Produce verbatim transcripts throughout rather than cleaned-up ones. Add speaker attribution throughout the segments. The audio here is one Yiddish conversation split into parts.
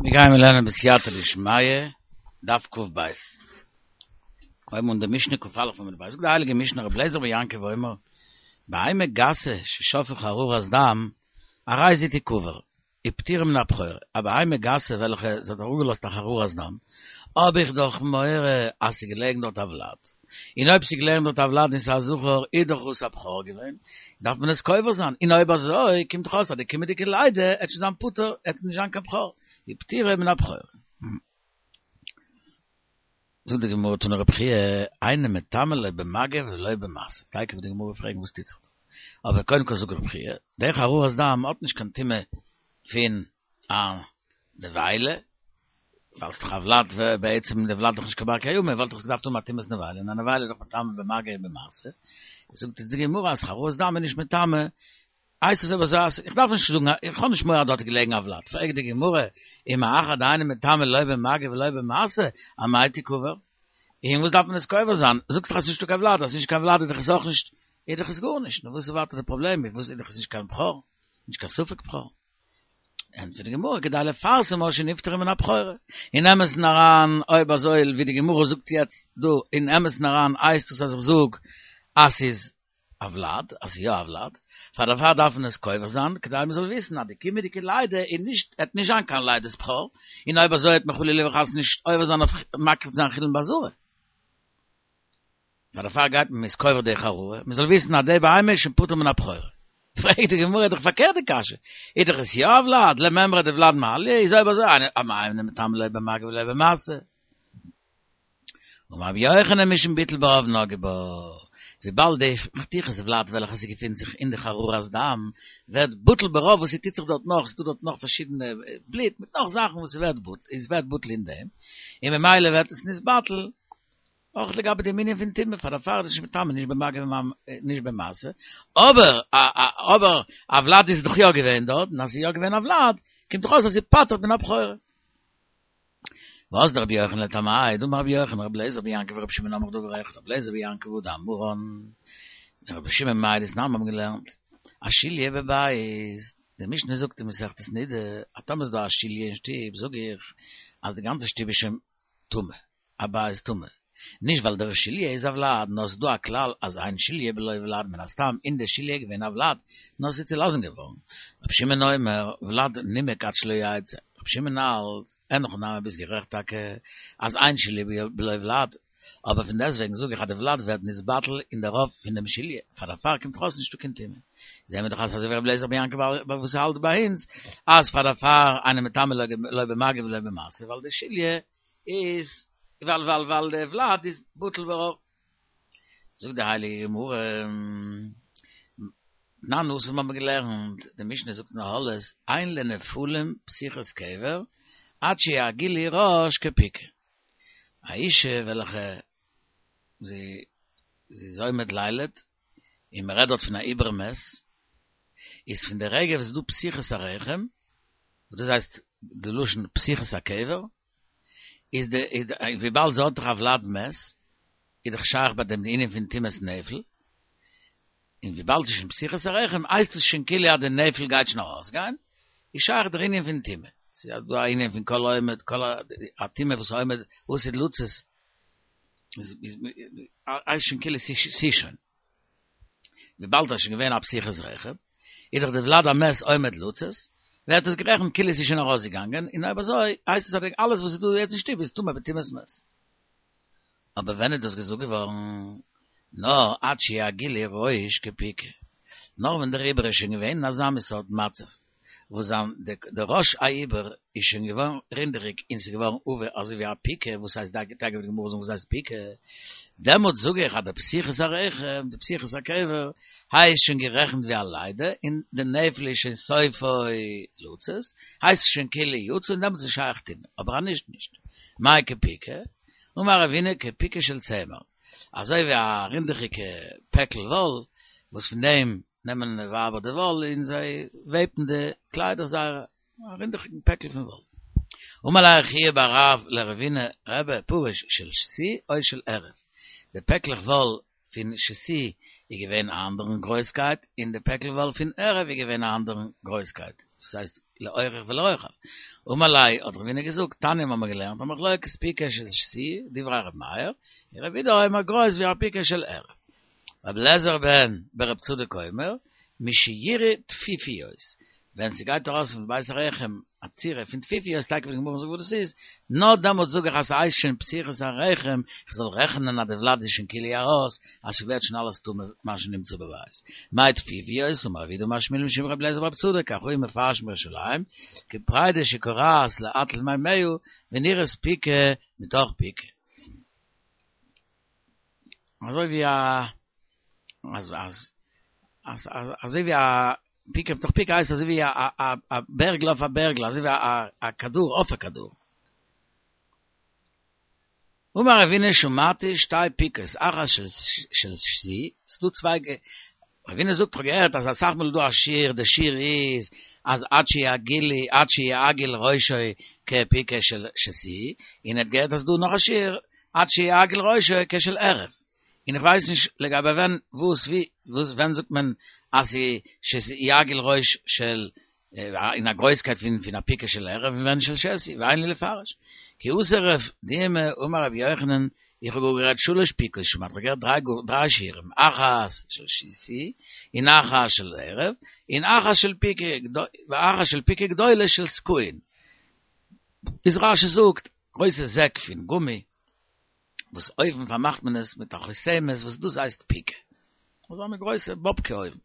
Speaker 1: מיר גייען לערנען בסייעתא דשמיא, דף קב. הייבן אן די משנה קא עמוד ב'. זאגט די הייליגע משנה רבי אליעזר בן יעקב אומר, בהמה גסה ששפך חרורת דם, הרי זו תקבר, ופטורה מן הבכורה. א בהמה גסה וועלכע זי האט אראפגעלאזט א חרורת דם, האב איך דאך מורא אז ס'איז געלעגן דארט א ולד. און אויב ס'איז געלעגן דארט א ולד און ס'איז א זכר, איז דאך עס א בכור געווען, דארף מען עס קובר זיין. און אויב אזוי, קומט דאך אויס אז די קומענדיגע לידה עט שוין זיין פטור, עט נישט זיין קיין בכור. ופטורה מן הבכורה. זאגט די גמרא תנא רבי חייא, אינו מטמא לא במגע ולא במשא. תיכף וועט די גמרא פרעגן וואס טוט זיך דא. אבער קודם כל זאגט רבי חייא, דער חרורת דם האט נישט קיין טומאה פון א נבילה, ווייל ס'איז דאך א ולד, בעצם די ולד איז דאך נישט קיין בר קיימא, וואלט דאך עס געדארפט האבן א טומאת נבילה, און א נבילה איז דאך מטמא במגע און במשא. זאגט די גמרא אז חרורת דם איז נישט מטמא הייסט עס אויב אזוי אז איך דארף נישט זאגן, איך האב נישט מורא אז דארט איז געלעגן א ולד, פרעגט די גמרא, ומאחר דאינו מטמא לא במגע ולא במשא, אמאי תקבר? און וואס דארף מען עס קובר זיין? זאגסט דאך אז ס'איז נישטא קיין ולד, אז ס'איז נישט קיין ולד איז דאך עס אויך נישט, איז דאך עס גארנישט, נו וואס איז ווייטער די פראבלעם, וואס איז דאך עס נישט קיין בכור, נישט קיין ספק בכור. ענטפערט די גמרא, כדי לפרסמה שנפטרה מן הבכורה. אין אמת'ן אריין, אויב אזוי ווי די גמרא זאגט יעצט דא, אין אמת'ן אריין הייסט עס אז איך זאג אז ס'איז א ולד, אז ס'איז יא א ולד, פאר דערפאר דארף מען עס קובר זיין, כדי מען זאל וויסן אז די קומענדיגע לידה איז נישט, עט נישט זיין קיין לידת בכור, און אויב אזוי העט מען חלילה וחס נישט עובר זיין אויף מקריב זיין חולין בעזרה. פאר דערפאר גייט מען מ'איז קובר די חרורה, מען זאל וויסן אז די בהמה איז שוין פטור מן הבכורה. פרעגט די גמרא, איז דאך פארקערט די קשיא, איז דאך עס יא א ולד, למימרא דולד מעליא, איז אויב אזוי אמאי אינו מטמא לא במגע ולא במשא. אמר רבי יוחנן משום ביטול ברוב נגעו בה, וויבאלד די חתיכת ולד וועלכע ס'געפינט זיך אין די חרורת דם ווערט בטל ברוב וואס ס'טוט זיך דארט נאך, ס'דא דארט נאך פארשידענע בלוט מיט נאך זאכן וואס ס'ווערט בטל, איז ווערט בטל אין דעם, און ממילא ווערט עס נתבטל אויך לגבי דעם ענין פון טומאה, פאר דערפאר איז עס נישט מטמא נישט במגע נישט במשא, אבער אבער א ולד איז דאך יא געווען דארט, און אז ס'איז יא געווען א ולד, קומט דאך אויס אז ס'פטר'ט מן הבכורה. ואזדא רבי יוחנן לטעמיה, דאמר רבי יוחנן, רבי אליעזר בן יעקב ורבי שמעון אומרים דבר אחד, רבי אליעזר בן יעקב הא דאמרן, און רבי שמעון מאי דתנן האבן געלערנט, א שליה בבית, די משנה זאגט אין מסכת נידה, אז טאמער איז דא א שליה אין שטוב, זאג איך אז די גאנצע שטוב איז שוין טמא, א בית טמא. נישט ווייל דער שליה איז א ולד, נאר ס'איז דא א כלל אז אין שליה בלא ולד מן הסתם אין די שליה איז געווען א ולד, נאר ס'איז צולאזן געווארן. רבי שמעון אומר, ולד נימק עד שלא יצא. רבי שמעון האלט, אין הכי נמי ביסט גערעכט טאקע אז אין שליה בלא ולד, אבער פון דעסטוועגן זאג איך אז די ולד ווערט נתבטל אין די רוב פון דעם שליה, פאר דערפאר קומט דאך אויס נישטא קיין טומאה. זעהן מיר דאך אז אזוי ווי רבי אליעזר בן יעקב וואס האלט ביי אונז אז פאר דערפאר אינו מטמא לא במגע ולא במשא ווייל די שליה איז ווייל ווייל ווייל די ולד איז בטל ברוב. זאגט די הייליגע גמרא, תנן התם האבן מיר געלערנט, די משנה זאגט אין אהלות, אין לנפלים פתיחת קבר עד שיעגילי ראש כפיקה. א אישה וועלכע זי זי איז עומד לילד, און מען רעדט דארט פון א עובר מת, איז פון די רגע וואס איז דא פתיחת הרחם, וואס דאס הייסט די לשון פתיחת הקבר, איז די איז די וויבאלד זי האט דאך א ולד מת, איז דאך שייך ביי דעם די ענין פון טומאת נפל, און וויבאלד ס'איז שוין פתיחת הרחם הייסט עס שוין כאילו אז די נפל גייט שוין ארויסגיין, איז שייך דער ענין פון טומאה. ס'איז דא א ענין פון כל העומד, כל א טומאה וואס עומד עתיד לצאת, איז איז הייסט שוין כאילו ס'איז שוין. וויבאלד ס'איז שוין געווען א פתיחת רחם, איז דאך די ולד המת עומד לצאת, ווערט עס גערעכנט כאילו עס איז שוין ארויסגעגאנגען, און אויב אזוי הייסט עס אז אלעס וואס איז דא יעצט אין שטוב איז טמא בטומאת מת. אבער ווען איז דאס געזאגט געווארן? נאר עד שיעגילי ראש כפיקה, נאר ווען דער עובר איז שוין געווען אין אזא מין סארט מצב, וואס זיין די ראש העובר איז שוין געווארן רינדעכיג און ס'איז געווארן עבה אזוי ווי א פיקה, וואס הייסט תיכף וועט די גמרא זאגן וואס הייסט פיקה, דעמאלטס זאג איך אז די פתיחת הרחם, די פתיחת הקבר, הייסט שוין גערעכנט ווי א לידה, און די נפל איז שוין סופו לצאת, הייסט עס שוין כאילו יצא און דעמאלטס איז שייך טומאה, אבער אז נישט נישט. מאי כפיקה? אמר רבינא כפיקה של צמר, אזוי ווי א רינדעכיגע פעקל וואל, וואס פון דעם נעמען די ווייבער די וואל און זיי וועבן די קליידער זייערע, א רינדעכיגן פעקל פון וואל. אמר ליה חייא בר רב לרבינא רבי פרוש של שתי או של ערב, די פעקלעך וואל פון שתי איז געווען א אנדערן גרויסקייט און די פעקל וואל פון ערב איז געווען א אנדערן גרויסקייט. דאס הייסט לאורך ולרוחב. אמר ליה, האט רבינא געזאגט, תניא האבן מיר געלערנט, א מחלוקת פיקה של שתי, דברי ר' מאיר, און ר' יהודה אומר גרויס ווי א פיקה של ערב. רבי אליעזר בן ברב צדוק אומר, משיראה טפיפיות, ווען ס'גייט ארויס פון בית הרחם א צורה פון טפיפיות, תיכף וועט די גמרא זאגן וואס דאס איז, נאר דעמאלטס זאג איך אז ס'הייסט שוין פתיחת הרחם, איך זאל רעכענען אז די ולד איז שוין כאילו ארויס, אז ס'ווערט שוין אלעס טמא מה שנמצא בבית. מאי טפיפיות, אמר רב יהודה אמר שמואל משום רבי אליעזר ברב צדוק, כך היו מפרשים בירושלים, כפריידא שכורעת לאט למימיה, ונראית פיקה מתוך פיקה. אזוי ווי א אז אז אז אזוי ווי א פיקה מתוך פיקה הייסט אזוי ווי א א א בערגל אויף א בערגל אזוי ווי א א כדור אויף א כדור. אמר רבינא שמעתי שתי פיקות אחת של של שתי, ס'דא צוויי רבינא זאגט כ'האב געהערט אז אסאך מאל איז דא א שיעור די שיעור איז אז עד שיעגילי עד שיעגיל ראשו כפיקה של שתי, און ער האט געהערט אז ס'דא נאך א שיעור עד שיעגיל ראשו כשל ערב. און איך ווייס נישט לגבי ווען וואס ווי וואס ווען זאגט מען אז שיעגיל ראש של אין א גרויסקייט פון פון א פיקה של ערב און ווען של שתי ואין לי לפרש כי אתא רב דימי אמר רבי יוחנן איך האב גאר גערעדט שלש פיקות שמעתי איך האב געהערט דריי דריי שיעורים אחת של שתי און אחת של ערב און אחת של פיקה ואחת של פיקה גדולה של סכוין איז רשי זאגט גרויסע זעק פון גומי וואס אויבן פארמאכט מען עס מיט א חותמת וואס דאס הייסט פיקה. אזא מין גרויסע באבקע אויבן.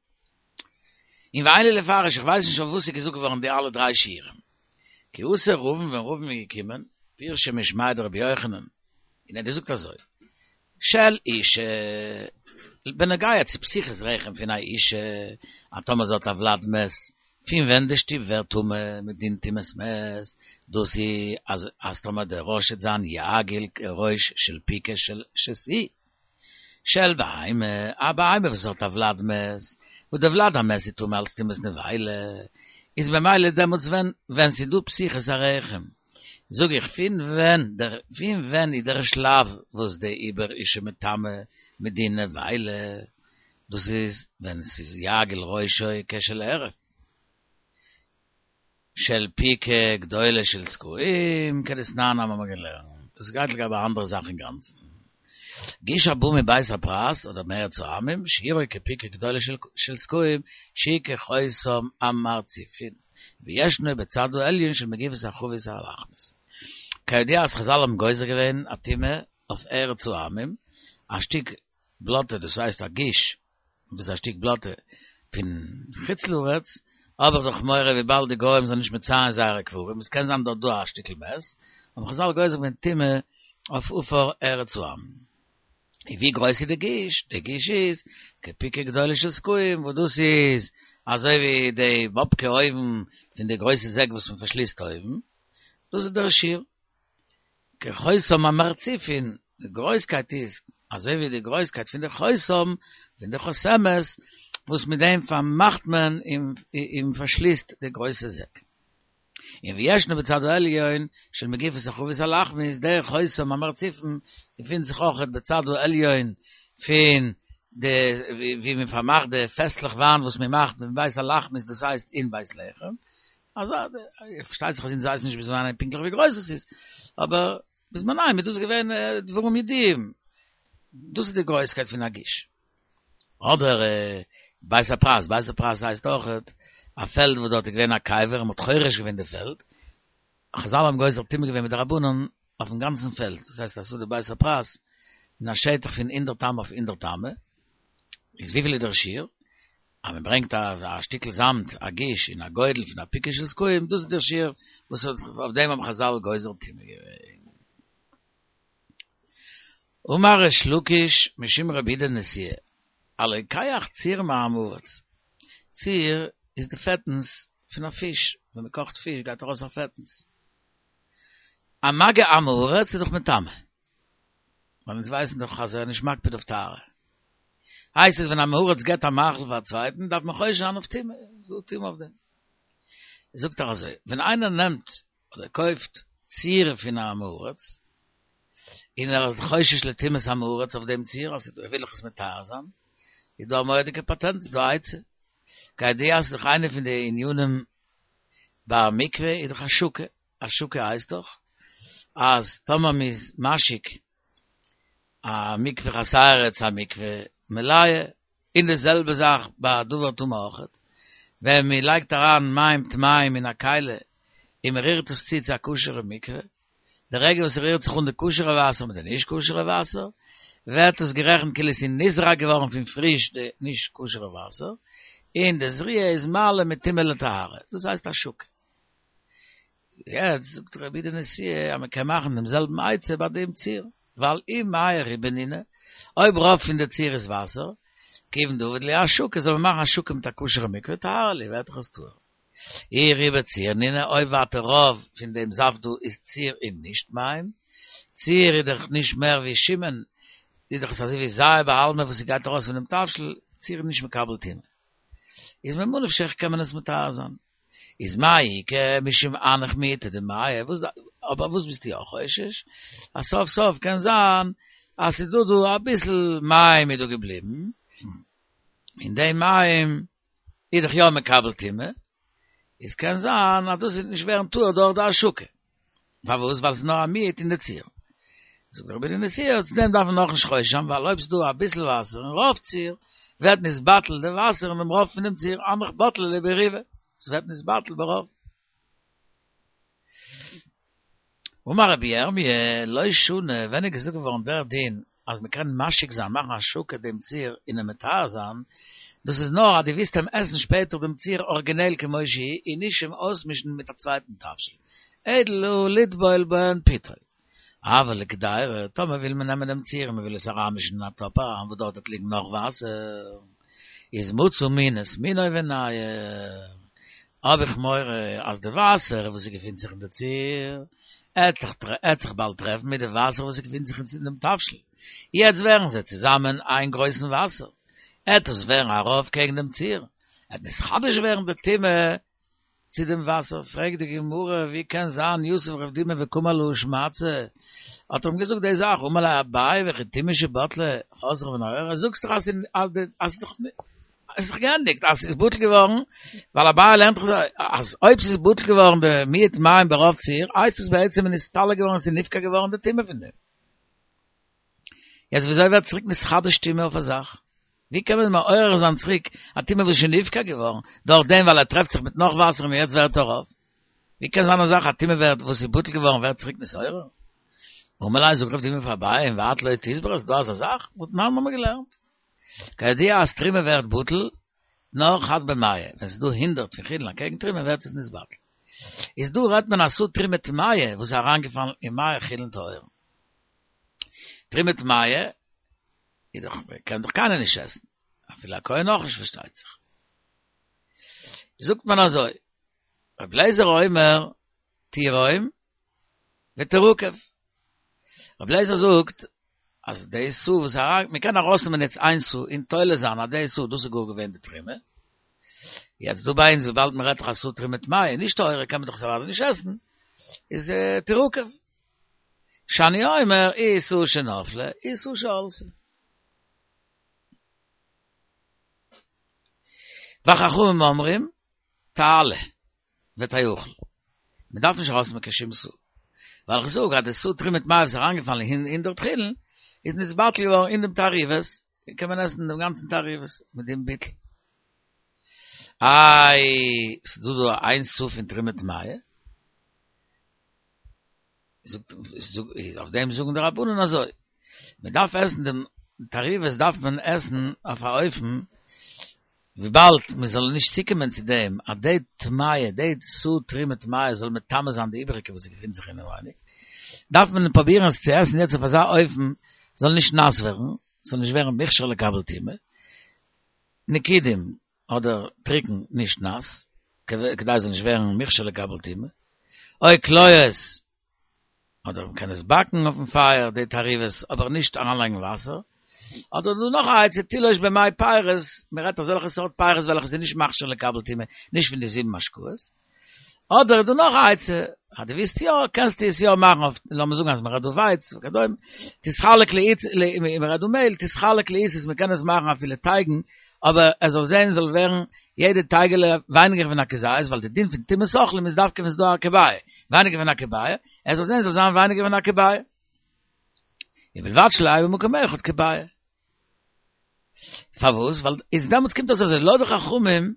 Speaker 1: און ואין לי לפרש, איך ווייס נישט אויף וואס איז געזאגט געווארן די אלע דריי שיעורים. כי אתא רבין ווען רבין איז געקומען, פירשא משמיה דרבי יוחנן, און ער האט געזאגט אזוי, של אישה, בנוגע צו פתיחת רחם פון א אישה, אז טאמער זי האט א ולד מת, פון ווען די שטוב ווערט טמא מדין טומאת מת, דאס איז אז אז טאמער דער ראש וועט זיין יעגיל כראש של פיקה של שתי של בהמה, א בהמה וואס האט א ולד מת, וואס דער ולד המת איז טמא אלס טומאת נבילה, איז במילא דעמאלטס ווען ווען ס'איז דא פתיחת הרחם, זאג איך פון ווען דער פון ווען איז דער שלב וואס די עובר איז שוין מטמא מדין נבילה, דאס איז ווען ס'איז יעגיל ראשו כשל ערב. של פיקה גדולה של סקועים, כדתנן האבן מיר געלערנט. דאס גייט לגבי א אנדערע זאך אינגאנצן. גוש הבא מבית הפרס אדער מארץ העמים, שיעורו כפיקה גדולה של סקועים, שהיא כחותם המרצופין, וישנו בצד העליון של מגיפת החבית הלחמית. כידוע אז חזל האבן גוזר געווען א טומאה אויף ארץ העמים, א שטיק בלאטע דאס הייסט א גוש, דאס איז א שטיק בלאטע פון חוץ לארץ, האב איך דאך מורא וויבאלד די גוים זענען נישט מציין זייערע קברים, עס קען זיין דארט דא א שטיקל מת, האבן חזל גוזר געווען טומאה אויף עפר ארץ העמים. און ווי גרויס איז די גוש? די גוש איז כפיקה גדולה של סקועים, וואס דאס איז אזוי ווי די באבקע אויבן פון די גרויסע זעק וואס מען פארשליסט אויבן, דאס איז דער שיעור. כחותם המרצופין, די גרויסקייט איז אזוי ווי די גרויסקייט פון די חותם, פון די חותמת, וואס מיט דעם פארמאכט מען און פארשליסט די גרויסע זעק. און וישנו בצד העליון של מגיפת החבית הלחמית, דער חותם המרצופין געפינט זיך אויכעט בצד העליון פון די ווי מען פארמאכט די פעסלעך וויין וואס מען מאכט בבית הלחמית דאס הייסט אין בית לחם, אזא, פארשטייט זיך אז אונז ווייסן נישט בזמנם פונקטליך ווי גרויס דאס איז, אבער בזמנם איז דאס געווען דברים ידועים, דאס איז די גרויסקייט פון א גוש. אדער בית הפרס, בית הפרס הייסט אויכעט א פעלד וואס דארט איז געווען א קבר און מען האט חורש געווען די פעלד, חזל האבן גוזר טומאה געווען מדרבנן אויפן גאנצן פעלד, דאס הייסט אז ס'איז דא בית הפרס אין א שטח פון הונדערט אמה אויף הונדערט אמה, איז וויפיל איז דער שיעור? אז מען ברענגט א שטיקל זאמד, א גוש, אין א גודל פון א פיקה של סקועים, דאס איז דער שיעור וואס אויף דעם האבן חזל גוזר טומאה געווען. אמר ריש לקיש משום רבי יהודה נשיאה, הלוקח ציר מעם הארץ, ציר איז די פעטנס פון א פיש, ווען מען קאכט פיש גייט ארויס א פעטנס. א מגע עם הארץ איז דאך מטמא. ווייל אונז ווייסן דאך אז ער איז נישט מקפיד אויף טהרה. הייסט עס ווען א עם הארץ געבט א מאכל פאר א צווייטן דארף מען חושש זיין אויף טומאה, איז דא טומאה אויף דעם. זאגט ער אזוי, ווען איינער נעמט אדער קויפט ציר פון א עם הארץ, און ער איז חושש לטומאת עם הארץ אויף דעם ציר, אז ער וויל דאך עס מטהר זיין, איז דא א מורא'דיגע פאטענט, איז דא א עצה. כידוע אז ס'איז דאך איינע פון די ענינים ביי א מקווה איז דאך השקה, השקה הייסט דאך אז טאמער מ'איז משיק א מקווה חסרה צו א מקווה מלאה, און די זעלבע זאך ביי א דבר טמא אויכעט, ווען מ'לייגט אריין מים טמאים אין א כלי און מ'רירט עס צו צו א כשר'ע מקווה, די רגע וואס ס'רירט זיך אן די כשר'ע וואסער מיט די נישט כשר'ע וואסער, ווערט עס גערעכנט כאילו ס'איז נזרק געווארן פון פריש די נישט כשר'ע וואסער, און די זריעה איז מעלה מטומאה לטהרה, דאס הייסט השקה. יעצט זאגט רבי יהודה נשיאה אז מ'קען מאכן דעם זעלבן עצה ביי דעם ציר, ווייל אם מיא רובא נינהו, אויב רוב פון די ציר איז וואסער, כיוון דעביד להו השקה, זאל מען מאכן השקה מיט א כשר'ע מקווה, טהרה להו, ווערט דאך עס טהור. אי רובא ציר נינהו, אויב ווייטער רוב פון דעם זאפט דא איז ציר און נישט מים, ציר איז דאך נישט מער ווי שומן, איז דאך עס אזוי ווי זיעה בעלמא וואס ס'גייט ארויס פונעם תבשיל, ציר איז נישט מקבל טומאה. איז ממה נפשך קען מען עס מטהר זיין. איז מאי איכא משום הנך מיעוטא דמיא, וואס אבער וואס ביסטו יא חושש? אז סוף סוף קען זיין אז ס'איז דא דא אביסל מים איז דא געבליבן, און די מים איז דאך יא מקבל טומאה, איז קען זיין אז דאס וועט נישט ווערן טהור דורך די השקה. פארוואס? ווייל ס'איז נאר א מיעוט אין די ציר. זאגט רבי יהודה נשיאה, צו דעם דארף מען נאכנישט חושש זיין, ווייל אויב ס'איז דא אביסל וואסער אין רוב ציר, ווערט נתבטל די וואסער אין דעם רוב פון דעם ציר, הנך בטלי ליה ברובא, ס'ווערט נתבטל ברוב. אמר רבי ירמי', לא שנו, ווען איז געזאגט געווארן דער דין אז מ'קען משיק זיין, מאכן השקה דעם ציר און אים מטהר זיין, דאס איז נאר אז דו ווילסט אים עסן שפעטער דעם ציר ארגינעל כמו שהוא און נישט אים אויסמישן מיט א צווייטן תבשיל, אלא לטבול בהן פיתו. אבל לקדירה, טאמער וויל מען נעמען דעם ציר און מען וויל עס אריינמישן אין א טאפ אריין וואס דארט וועט ליגן נאך וואסער, איז מצא מין את מינו וניעור, האב איך מורא אז די וואסער וואס ס'געפינט זיך אין די ציר, עט זיך באלד טרעפן מיט די וואסער וואס ס'געפינט זיך אין דעם תבשיל, יעצט ווערן זיי צוזאמען איין גרויסן וואסער, עט עס ווערן א רוב קעגן דעם ציר, עט נתחדש ווערן די טומאה צו דעם וואסער, פרעגט די גמרא, ווי קען זיין יתיב רב דימי וקאמר להא שמעתתא, האט ער אים געזאגט די זאך, אמר ליה אביי וכי טומאה שבטלה חוזרה ונעורה, זאגסט דאך אז אז עס איז דאך געענדיגט, אז ס'איז בטל געווארן, ווייל אביי לערנט דאך אז אויב ס'איז בטל געווארן די מיעוט מים ברוב ציר, הייסט עס בעצם איז נסתלק געווארן, עס איז נפקע געווארן די טומאה פון דעם. יעצט וויאזוי ווערט צוריק נתחדש טומאה אויף א זאך? ווי קען מען מעורר זיין צוריק א טומאה וואס איז שוין נפקע געווארן, דורך דעם ווייל ער טרעפט זיך מיט נאך וואסער און יעצט ווערט ער רוב? ווי קען זיין א זאך א טומאה ווערט וואס איז בטל געווארן ווערט צוריק נתעורר? אמר ליה זאגט רב דימי פאר אביי ואת לא תסברא ס'איז דא אזא זאך? והתנן האמיר געלערנט. כידוע אז תרומה ווערט בטל נאר חד במאה, ווען ס'איז דא הונדערט פון חולין אקעגן תרומה ווערט עס נתבטל. איז דא רעדט מען א סאה תרומה טמאה וואס איז אריינגעפאלן אין מאה חולין טהורין. תרומה טמאה איז דאך קען דאך קיינער נישט עסן, אפילו א כהן אויך נישט פארשטייט זיך. זאגט מען אזוי, רבי אליעזר אומר תירום ותרקב. רבי אליעזר זאגט אז די סאה וואס אריין, מען קען ארויסנעמען יעצט איין סאה און תולה זיין אז די סאה דאס איז גאר געווען די תרומה. יעצט דא ביי אונז וויבאלד מען רעדט דאך א סאה תרומה טמאה נישט טהורה קען מען דאך עס אוודאי נישט עסן, איז תרקב. שאני אומר אי סאה שנפלה אי סאה שעלתה. וחכמים אומרים תעלה ותאכל. מען דארף נישט ארויסנעמען קיין שום סאה. ווייל איך זאג אז די סאה תרומה טמאה וואס איז אריינגעפאלן אין הונדערט חולין איז נתבטל געווארן אין דעם תערובת, קען מען עסן דעם גאנצן תערובת מיט דעם ביטול. איי, ס'איז דא דא איין סאה פון תרומה טמאה? זאגט איז אויף דעם זאגן די רבנן אזוי, מען דארף עסן דעם תערובת דארף מען עסן אויף א אופן וויבאלד מען זאל נישט צוקומען צו דעם אז די טמאה די סאה תרומה טמאה זאל מטמא זיין די איבעריגע וואס געפינט זיך אינעווייניג, דארף מען פרובירן עס צו עסן יעצט אויף אזא אופן זאל נישט נאס ווערן, ס'זאל נישט ווערן מוכשר לקבל טומאה, נקודים אדער טריקן נישט נאס, כדי ס'זאל נישט ווערן מוכשר לקבל טומאה, או קליות, אדער מ'קען עס באקן אויפן פייער די תערובת, אבער נישט אריינלייגן וואסער, אדער דא נאך א עצה תיטוש במי פירות, מ'רעדט אזעלכע סארט פירות וועלכע זענען נישט מכשיר לקבל טומאה, נישט פון די זיבן משקאות, אדער איז דא נאך א עצה, אז דו ווילסט יא, קענסטו עס יא מאכן אויף, לאמיר זאגן אז מ'רעדט דא ווייץ וכדומה, תתחלק לעיס, מ'רעדט דא מעהל, תתחלק לעיסות, מ'קען עס מאכן אפילו טייגן, אבער עס זאל זען זאל ווערן יעדע טייגעלע ווייניגער פון א כזית, ווייל די דין פון טומאת אוכלים איז דווקא ווען ס'איז דא א כביעה, ווייניגער פון א כביעה, ער זאל זען ס'זאל זיין ווייניגער פון א כביעה. ובלבד שלא יהא במקום אחד כביעה. פארוואס? ווייל איז דעמאלטס קומט אויס אזוי, לויט די חכמים,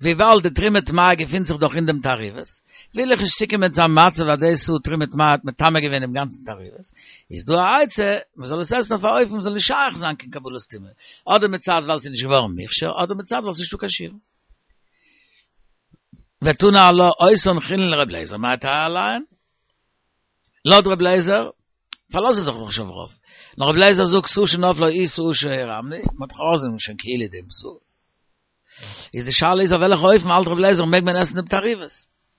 Speaker 1: וויבאלד די תרומה טמאה געפינט זיך דאך אין דעם תערובת, וויל איך נישט צוקומען צו א מצב אז די סאה תרומה טמאה האט מטמא געווען דעם גאנצן תערובת, איז דא א עצה, מען זאל עס עסן אויף א אופן ס'זאל נישט שייך זיין קיין קבלת טומאה, אדער מצד ווייל ס'איז נישט געווארן מוכשר, אדער מצד ווייל ס'איז נישטא קיין שיעור. ותנא עלה אותן חולין לר' אליעזר מאי טייעא עליהן? לויט ר' אליעזר פארלאזט ער זיך דאך נישט אויף רוב, נאר ר' אליעזר זאגט סאה שנפלה היא סאה שהרמנו, מען האט דאך ארויסגענומען שוין כאילו דעם סאה. איז די שאלה איז אויף וועלכע אופן האלט ר' אליעזר מעג מען עסן דעם תערובת,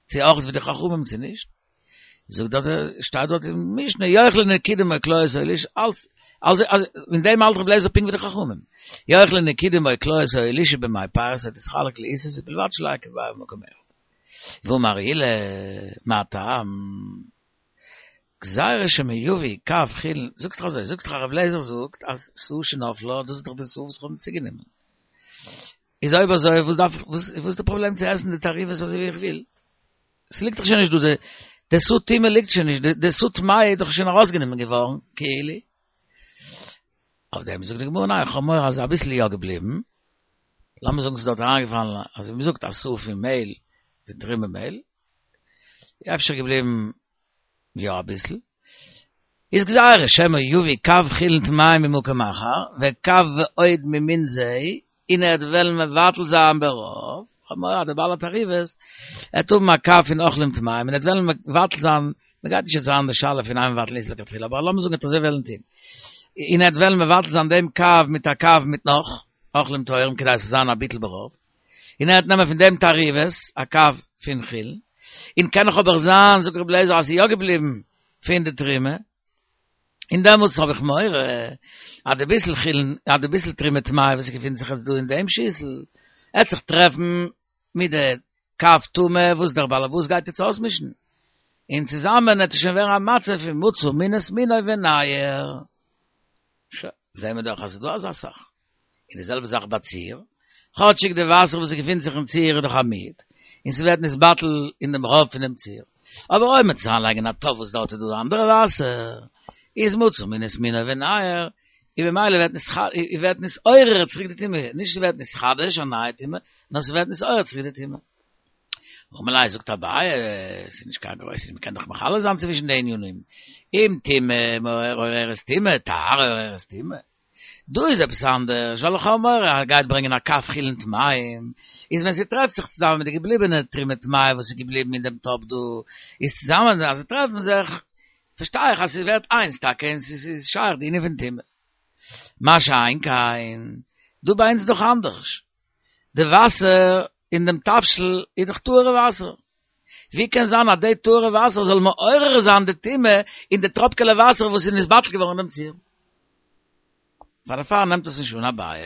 Speaker 1: צו אויך ווי די חכמים צו נישט. זאגט דארט שטייט דארט אין משנה יאכלו נקודים או קליות או אלישע אלס אלס אין דעם האלט ר' אליעזר פונקט ווי די חכמים יאכלו נקודים או קליות או אלישע במי פירות או תתחלק לעיסות ובלבד שלא יהא כביעה במקום אחד. ואמר עולא מה טעם גזירה שמא יביא קב חולין, זאגסט דאך אזוי, זאגסט דאך אז רבי אליעזר זאגט אז סאה שנפלה, דאס איז דאך די סאה וואס איך האב צוגענומען. איז אויב אזוי וואס דארף איך, וואס איז די פראבלעם צו עסן די תערובת אזוי ווי איך וויל? ס'ליגט דאך שוין נישט דא, די סאה טומאה ליגט שוין נישט, די סאה טמאה איז דאך שוין ארויסגענומען געווארן, כאילו. אויף דעם זאגט די גמרא ניין, איך האב מורא אז אביסל איז יא געבליבן, לאמיר זאגן ס'איז דארט אריינגעפאלן, אזוי ווי מ'זאגט א סאה פון מעהל, פון תרומה מעהל, אפשר געבליבן יא אביסל, איז גזירה שמא יביא קב חולין טמאים ממקום אחר, וקב ועוד ממין זה, און ער וועט וועלן מבטל זיין ברוב, כ'האב מורא אז דער בעל התערובת עט האבן א קב פון אוכלים טמאים און ער וועט וועלן מבטל זיין, מ'גייט נישט יעצט אריין אין די שאלה פון אין מבטלין איסור לכתחילה, אבער לאמיר זאגן ער וועט אזוי וועלן טון, און ער וועט וועלן מבטל זיין דעם קב מיט א קב מיט נאך אוכלים טהורים כדי ס'זאל זיין א ביטול ברוב. און ער וועט נעמען פון דעם תערובת א קב פון חולין, און קען נאך אבער זיין, זאגט רבי אליעזר, אז ס'איז יא געבליבן פון די תרומה, און דעמאלטס האב איך מורא אז די ביסל חולין, אז די ביסל תרומה טמאה וואס געפינט זיך יעצט דא אין דעם שיסל, עט זיך טרעפן מיט די קב טמא וואס דער באלעבאס גייט יעצט אויסמישן, און צוזאמען עט עס שוין ווערן א מצב פון מצא מין את מינו וניעור. שוין, זעהן מיר דאך אז ס'איז דא אזא זאך. און די זעלבע זאך ביי ציר, כאטשיג די וואסער וואס געפינט זיך אין ציר איז דאך א מיעוט, און ס'ווערט נתבטל אין דעם רוב פונעם ציר, אבער אויב מ'וועט עס אריינלייגן אין א טאפ וואס דארט איז דא אנדערע וואסער, איז מצא מין את מינו וניעור, און במילא ווערט ווערט נתעורר צוריק די טומאה, נישט ס'ווערט נתחדש א נייע טומאה, נאר ס'ווערט נתעורר צוריק די טומאה. אמר ליה זאגט אביי, ס'איז נישט קיין גרויסע, מ'קען דאך מחלק זיין צווישן די ענינים, אם טומאה מעוררת טומאה, טהרה מעוררת טומאה. דא איז עפעס אנדערש, ווייל איך האב מורא אז ער גייט ברענגען א קב חולין טמאים, איז ווען ס'טרעפט זיך צוזאמען מיט די געבליבענע תרומה טמאה וואס איז געבליבן אין דעם טאפ דא, איז צוזאמען אז זיי טרעפן זיך, פארשטיי איך אז ס'ווערט איינס טאקע און ס'איז שייך די ענין פון טומאה. מה שאין כן, דא ביי אונז איז דאך אנדערש. די וואסער אין דעם תבשיל איז דאך טהור'ע וואסער. ווי קען זיין אז די טהור'ע וואסער זאל מעורר זיין די טומאה אין די טראפקעלע וואסער וואס איז נתבטל געווארן אין דעם ציר? פאר דערפאר נעמט עס נישט אן אביי.